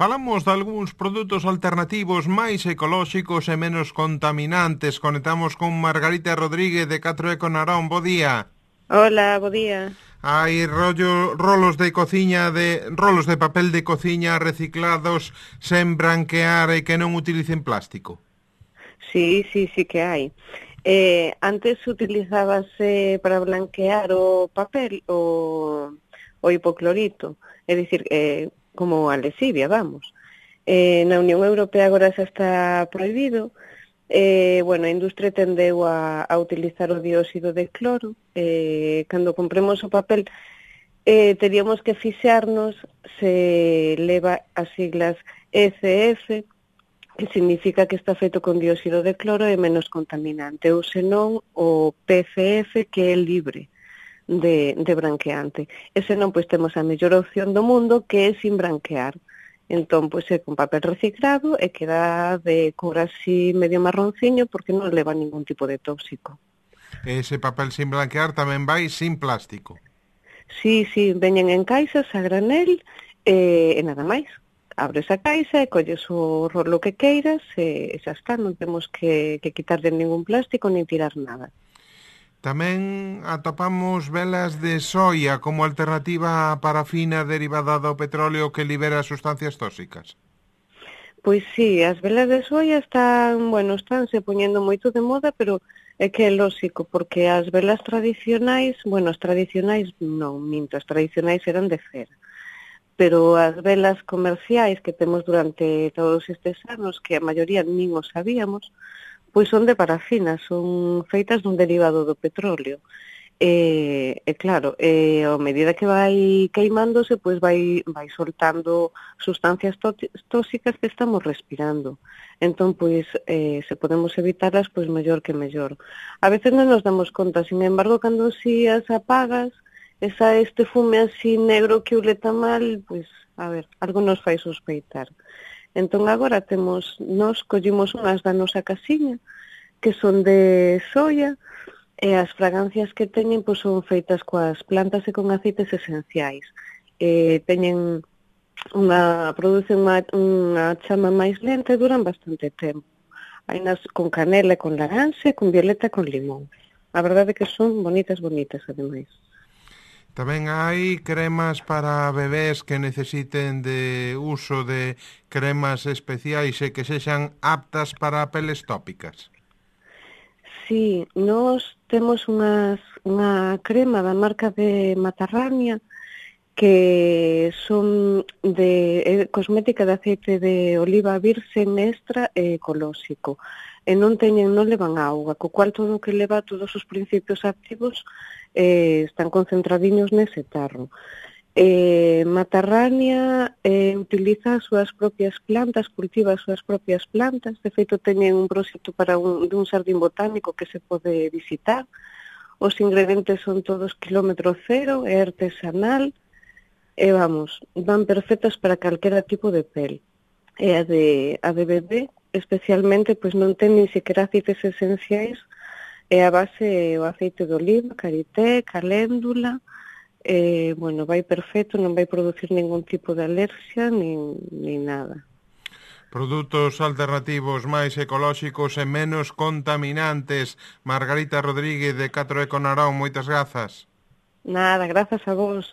Falamos de algúns produtos alternativos máis ecolóxicos e menos contaminantes. Conectamos con Margarita Rodríguez de 4 Narón. Bo día. Hola, bo día. Hai rolos de papel de cociña reciclados sen branquear e que non utilicen plástico. Sí que hai. Antes utilizábase para blanquear o papel o hipoclorito, é dicir, como a lexivia, vamos. Na Unión Europea agora xa está prohibido. A industria tendeu a utilizar o dióxido de cloro. Cando compremos o papel, teríamos que fixarnos se leva as siglas ECF, que significa que está feito con dióxido de cloro e menos contaminante, ou senón o PCF, que é libre de branqueante. E senón, pois temos a mellor opción do mundo, que é sin branquear. Entón, pois é con papel reciclado e queda de cor así medio marronciño porque non leva ningún tipo de tóxico. Ese papel sin blanquear tamén vai sin plástico. Sí, veñen en caixas a granel e nada máis. Abres a caixa e colles o rolo que queiras e xa está, non temos que quitarle ningún plástico nin tirar nada. Tamén atopamos velas de soia como alternativa á parafina derivada do petróleo que libera sustancias tóxicas. Pois sí, as velas de soia estánse poñendo moito de moda, pero é que é lóxico, porque as velas tradicionais, as tradicionais non, minto, as tradicionais eran de cera. Pero as velas comerciais que temos durante todos estes anos, que a maioría nin o sabíamos, pois son de parafina, son feitas dun derivado do petróleo. Claro, a medida que vai queimándose, pois vai soltando sustancias tóxicas que estamos respirando. Entón, pois, se podemos evitarlas, pois mellor que mellor. A veces non nos damos conta, sin embargo, cando si as apagas, este fume así negro que uleta mal, pois, algo nos fai sospeitar. Entón agora nós collimos unhas da nosa casiña, que son de soia, e as fragancias que teñen pois son feitas coas plantas e con aceites esenciais. Producen unha chama máis lenta e duran bastante tempo. Hai nas con canela e con laranxa, con violeta e con limón. A verdade é que son bonitas, ademais. Tamén hai cremas para bebés que necesiten de uso de cremas especiais e que sexan aptas para peles tópicas. Sí, nós temos unha crema da marca de Matarrania que son de cosmética de aceite de oliva virgen extra e ecolóxico. E non levan auga, co cual todo o que leva todos os principios activos están concentradiños nese tarro. Matarrania utiliza as súas propias plantas, cultiva as súas propias plantas. De feito, teñen un proxecto dun xardín botánico que se pode visitar. Os ingredientes son todos kilómetro cero, é artesanal, e van perfectas para calquera tipo de pel. E a de bebé, especialmente, pois non ten nin sequera aceites esenciais, e a base é o aceite de oliva, karité, caléndula, vai perfecto, non vai producir ningún tipo de alerxia nin nada. Produtos alternativos máis ecolóxicos e menos contaminantes. Margarita Rodríguez de 4 Narón, moitas grazas. Nada, grazas a vos.